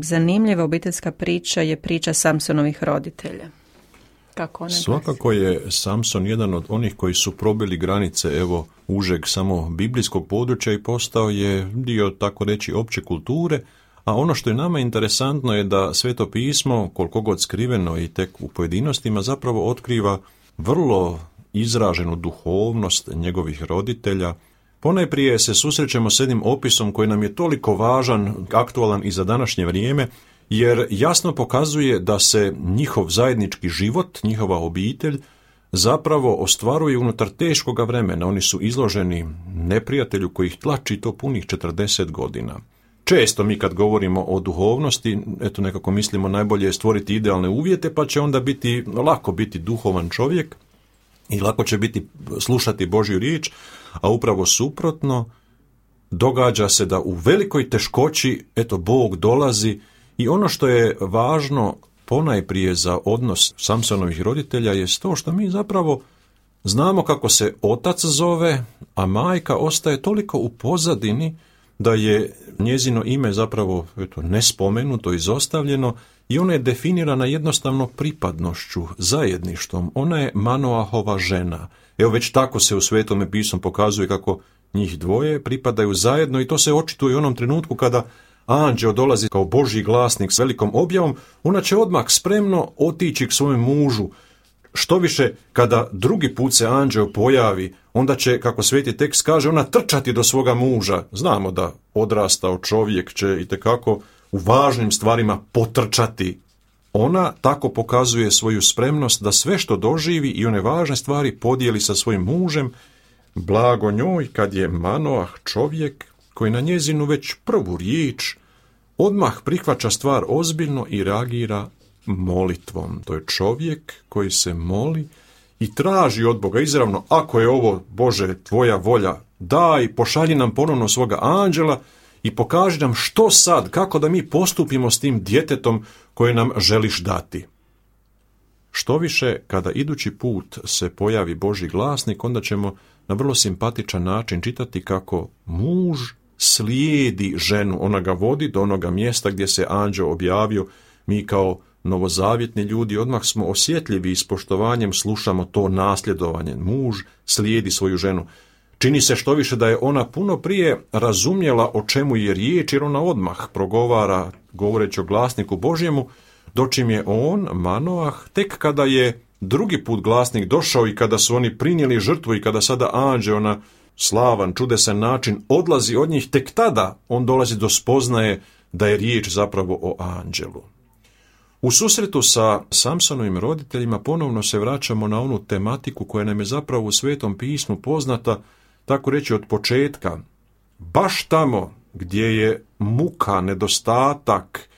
zanimljiva obiteljska priča je priča Samsonovih roditelja. Kako one Svakako je Samson jedan od onih koji su probili granice užeg samo biblijskog područja i postao je dio, tako reći, opće kulture, a ono što je nama interesantno je da Sveto pismo, koliko god skriveno i tek u pojedinostima, zapravo otkriva vrlo izraženu duhovnost njegovih roditelja. Ponajprije se susrećemo s jednim opisom koji nam je toliko važan, aktualan i za današnje vrijeme, jer jasno pokazuje da se njihov zajednički život, njihova obitelj, zapravo ostvaruje unutar teškoga vremena. Oni su izloženi neprijatelju koji ih tlači to punih 40 godina. Često mi kad govorimo o duhovnosti, nekako mislimo najbolje je stvoriti idealne uvjete, pa će onda lako biti duhovan čovjek i lako će biti slušati Božju riječ, a upravo suprotno, događa se da u velikoj teškoći, Bog dolazi i ono što je važno ponajprije za odnos Samsonovih roditelja je to što mi zapravo znamo kako se otac zove, a majka ostaje toliko u pozadini da je njezino ime zapravo nespomenuto, izostavljeno i ona je definirana jednostavno pripadnošću, zajedništvom. Ona je Manoahova žena. Već tako se u Svetome pismu pokazuje kako njih dvoje pripadaju zajedno i to se očituje u onom trenutku kada anđeo dolazi kao Božji glasnik s velikom objavom, ona će odmah spremno otići k svojem mužu. Štoviše, kada drugi put se anđeo pojavi, onda će, kako Sveti tekst kaže, ona trčati do svoga muža. Znamo da odrastao čovjek će itekako u važnim stvarima potrčati. Ona tako pokazuje svoju spremnost da sve što doživi i one važne stvari podijeli sa svojim mužem. Blago njoj kad je Manoah čovjek koji na njezinu već prvu riječ odmah prihvaća stvar ozbiljno i reagira molitvom. To je čovjek koji se moli i traži od Boga izravno, ako je ovo, Bože, tvoja volja, daj, pošalji nam ponovno svoga anđela i pokaži nam što sad, kako da mi postupimo s tim djetetom koje nam želiš dati. Štoviše, kada idući put se pojavi Božji glasnik, onda ćemo na vrlo simpatičan način čitati kako muž slijedi ženu, ona ga vodi do onoga mjesta gdje se anđeo objavio. Mi kao novozavjetni ljudi odmah smo osjetljivi i s poštovanjem slušamo to nasljedovanje. Muž slijedi svoju ženu. Čini se štoviše da je ona puno prije razumjela o čemu je riječ, jer ona odmah progovara govoreći o glasniku Božjemu, dočim je on, Manoah, tek kada je drugi put glasnik došao i kada su oni prinijeli žrtvu i kada sada anđeo na slavan, čudesan način odlazi od njih, tek tada on dolazi do spoznaje da je riječ zapravo o anđelu. U susretu sa Samsonovim roditeljima ponovno se vraćamo na onu tematiku koja nam je zapravo u Svetom pismu poznata, tako reći od početka. Baš tamo gdje je muka, nedostatak,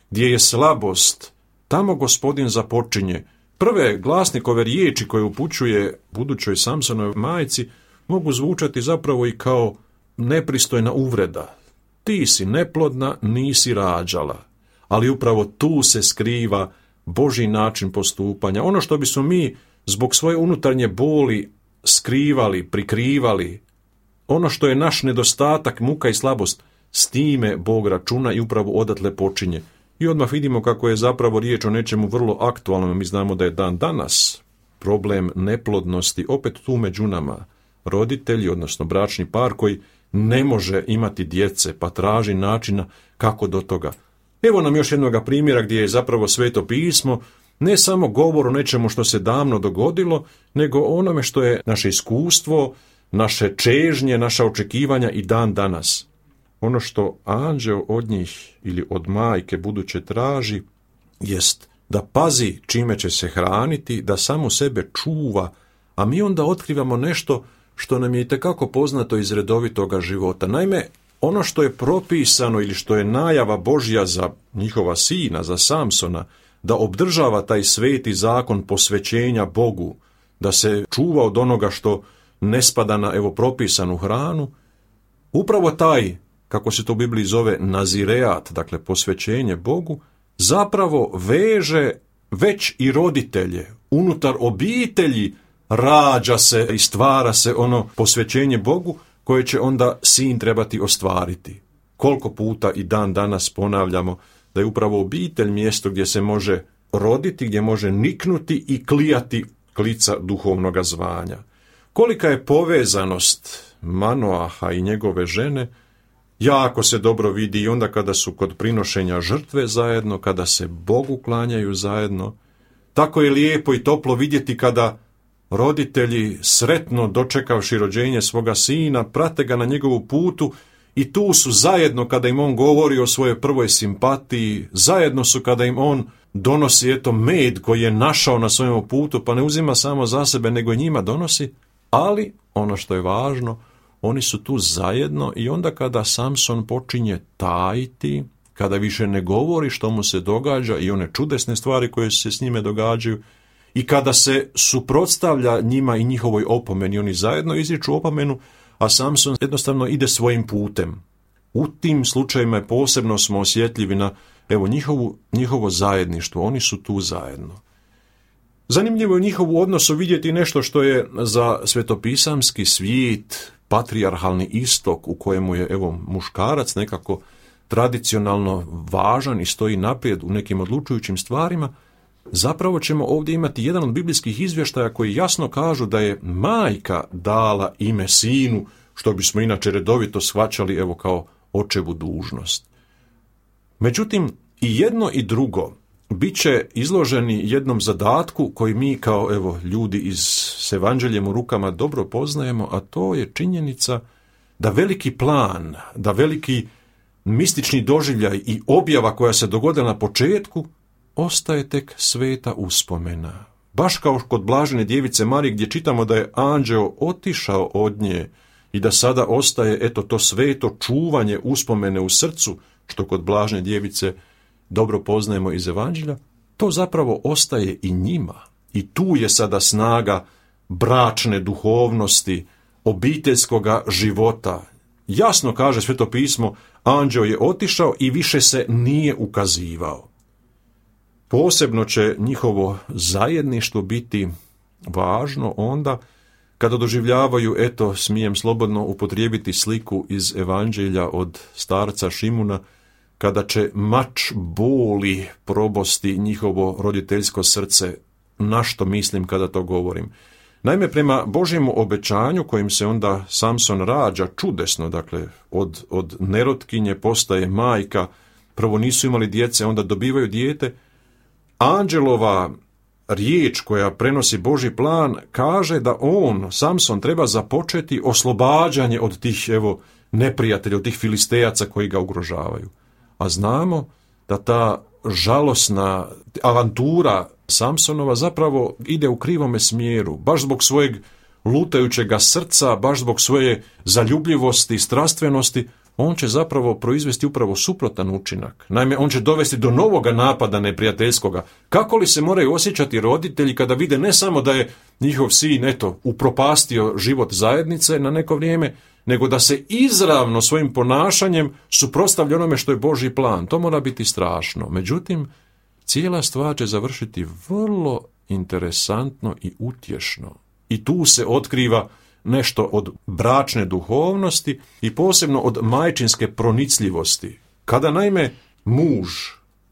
gdje je slabost, tamo Gospodin započinje. Prve glasnikove riječi koje upućuje budućoj Samsonovoj majci mogu zvučati zapravo i kao nepristojna uvreda. Ti si neplodna, nisi rađala. Ali upravo tu se skriva Božji način postupanja. Ono što bismo mi zbog svoje unutarnje boli skrivali, prikrivali, ono što je naš nedostatak, muka i slabost, s time Bog računa i upravo odatle počinje. I odmah vidimo kako je zapravo riječ o nečemu vrlo aktualnom. Mi znamo da je dan danas problem neplodnosti opet tu među nama. Roditelji, odnosno bračni par koji ne može imati djece, pa traži načina kako do toga. Evo nam još jednoga primjera gdje je zapravo Sveto pismo ne samo govor o nečemu što se davno dogodilo, nego onome što je naše iskustvo, naše čežnje, naša očekivanja i dan danas. Ono što anđeo od njih ili od majke buduće traži jest da pazi čime će se hraniti, da samo sebe čuva, a mi onda otkrivamo nešto što nam je itekako poznato iz redovitoga života. Naime, ono što je propisano ili što je najava Božja za njihova sina, za Samsona, da obdržava taj sveti zakon posvećenja Bogu, da se čuva od onoga što ne spada na propisanu hranu, upravo taj, kako se to u Bibliji zove, nazireat, dakle posvećenje Bogu, zapravo veže već i roditelje. Unutar obitelji rađa se i stvara se ono posvećenje Bogu koje će onda sin trebati ostvariti. Koliko puta i dan danas ponavljamo da je upravo obitelj mjesto gdje se može roditi, gdje može niknuti i klijati klica duhovnoga zvanja. Kolika je povezanost Manoaha i njegove žene, jako se dobro vidi i onda kada su kod prinošenja žrtve zajedno, kada se Bogu klanjaju zajedno. Tako je lijepo i toplo vidjeti kada roditelji, sretno dočekavši rođenje svoga sina, prate ga na njegovu putu i tu su zajedno kada im on govori o svojoj prvoj simpatiji, zajedno su kada im on donosi med koji je našao na svojem putu, pa ne uzima samo za sebe, nego i njima donosi, ali ono što je važno, oni su tu zajedno i onda kada Samson počinje tajiti, kada više ne govori što mu se događa i one čudesne stvari koje se s njime događaju, i kada se suprotstavlja njima i njihovoj opomeni, oni zajedno izriču opomenu, a Samson jednostavno ide svojim putem. U tim slučajima posebno smo osjetljivi na njihovo zajedništvo, oni su tu zajedno. Zanimljivo je u njihovu odnosu vidjeti nešto što je za svetopisamski svijet, patrijarhalni istok u kojemu je muškarac nekako tradicionalno važan i stoji naprijed u nekim odlučujućim stvarima. Zapravo ćemo ovdje imati jedan od biblijskih izvještaja koji jasno kažu da je majka dala ime sinu, što bismo inače redovito shvaćali kao očevu dužnost. Međutim, i jedno i drugo bit će izloženi jednom zadatku koji mi kao ljudi s evanđeljem u rukama dobro poznajemo, a to je činjenica da veliki plan, da veliki mistični doživljaj i objava koja se dogodila na početku ostaje tek sveta uspomena. Baš kao kod blažene djevice Marije gdje čitamo da je anđeo otišao od nje i da sada ostaje to sveto čuvanje uspomene u srcu, što kod blažene djevice dobro poznajemo iz evanđelja, to zapravo ostaje i njima. I tu je sada snaga bračne duhovnosti, obiteljskoga života. Jasno kaže Sveto pismo, anđeo je otišao i više se nije ukazivao. Posebno će njihovo zajedništvo biti važno onda kada doživljavaju, smijem slobodno upotrijebiti sliku iz evanđelja od starca Šimuna, kada će mač boli probosti njihovo roditeljsko srce. Na što mislim kada to govorim? Naime, prema Božjemu obećanju kojim se onda Samson rađa čudesno, dakle od nerotkinje postaje majka, prvo nisu imali djece, onda dobivaju dijete, anđelova riječ koja prenosi Božji plan kaže da Samson, treba započeti oslobađanje od tih neprijatelja, od tih filistejaca koji ga ugrožavaju. A znamo da ta žalosna avantura Samsonova zapravo ide u krivome smjeru, baš zbog svojeg lutajućega srca, baš zbog svoje zaljubljivosti i strastvenosti, on će zapravo proizvesti upravo suprotan učinak. Naime, on će dovesti do novoga napada neprijateljskoga. Kako li se moraju osjećati roditelji kada vide ne samo da je njihov sin, upropastio život zajednice na neko vrijeme, nego da se izravno svojim ponašanjem suprotstavlja onome što je Božji plan. To mora biti strašno. Međutim, cijela stvar će završiti vrlo interesantno i utješno. I tu se otkriva nešto od bračne duhovnosti i posebno od majčinske pronicljivosti. Kada naime muž,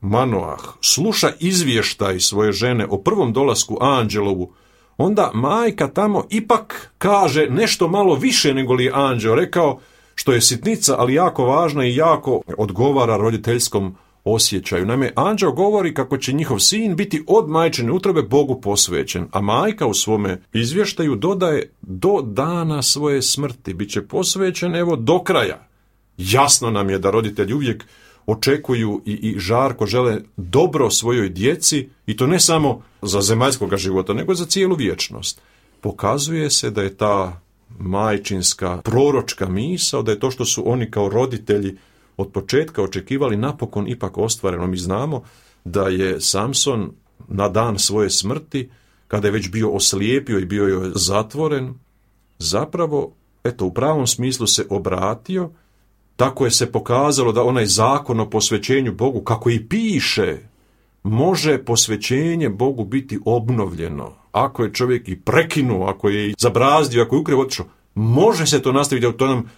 Manoah, sluša izvještaj svoje žene o prvom dolasku anđelovu, onda majka tamo ipak kaže nešto malo više nego li je anđeo rekao, što je sitnica, ali jako važna i jako odgovara roditeljskom osjećaju. Naime, anđeo govori kako će njihov sin biti od majčine utrobe Bogu posvećen, a majka u svome izvještaju dodaje do dana svoje smrti. Biće posvećen do kraja. Jasno nam je da roditelji uvijek očekuju i žarko žele dobro svojoj djeci, i to ne samo za zemaljskog života, nego za cijelu vječnost. Pokazuje se da je ta majčinska proročka misao, da je to što su oni kao roditelji od početka očekivali napokon ipak ostvareno. Mi znamo da je Samson na dan svoje smrti, kada je već bio oslijepio i bio je zatvoren, zapravo, u pravom smislu se obratio. Tako je se pokazalo da onaj zakon o posvećenju Bogu, kako i piše, može posvećenje Bogu biti obnovljeno. Ako je čovjek i prekinuo, ako je zabrazdio, ako je ukrivo otišao, može se to nastaviti. To nam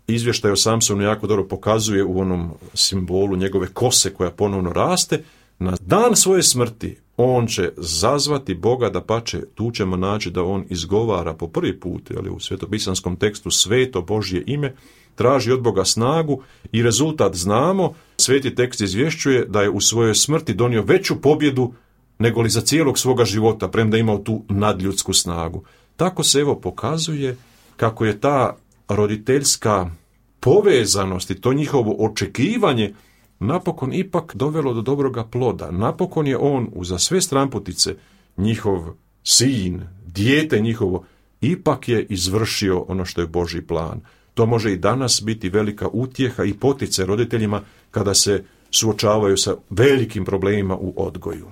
izvještaj o Samsonu jako dobro pokazuje u onom simbolu njegove kose koja ponovno raste. Na dan svoje smrti on će zazvati Boga, dapače, tu ćemo naći da on izgovara po prvi put, u svetopisanskom tekstu, sveto Božje ime, traži od Boga snagu i rezultat znamo. Sveti tekst izvješćuje da je u svojoj smrti donio veću pobjedu nego li za cijelog svoga života, premda imao tu nadljudsku snagu. Tako se pokazuje kako je ta roditeljska povezanost i to njihovo očekivanje napokon ipak dovelo do dobroga ploda. Napokon je on, uza sve stranputice, njihov sin, dijete njihovo, ipak je izvršio ono što je Božji plan. To može i danas biti velika utjeha i poticaj roditeljima kada se suočavaju sa velikim problemima u odgoju.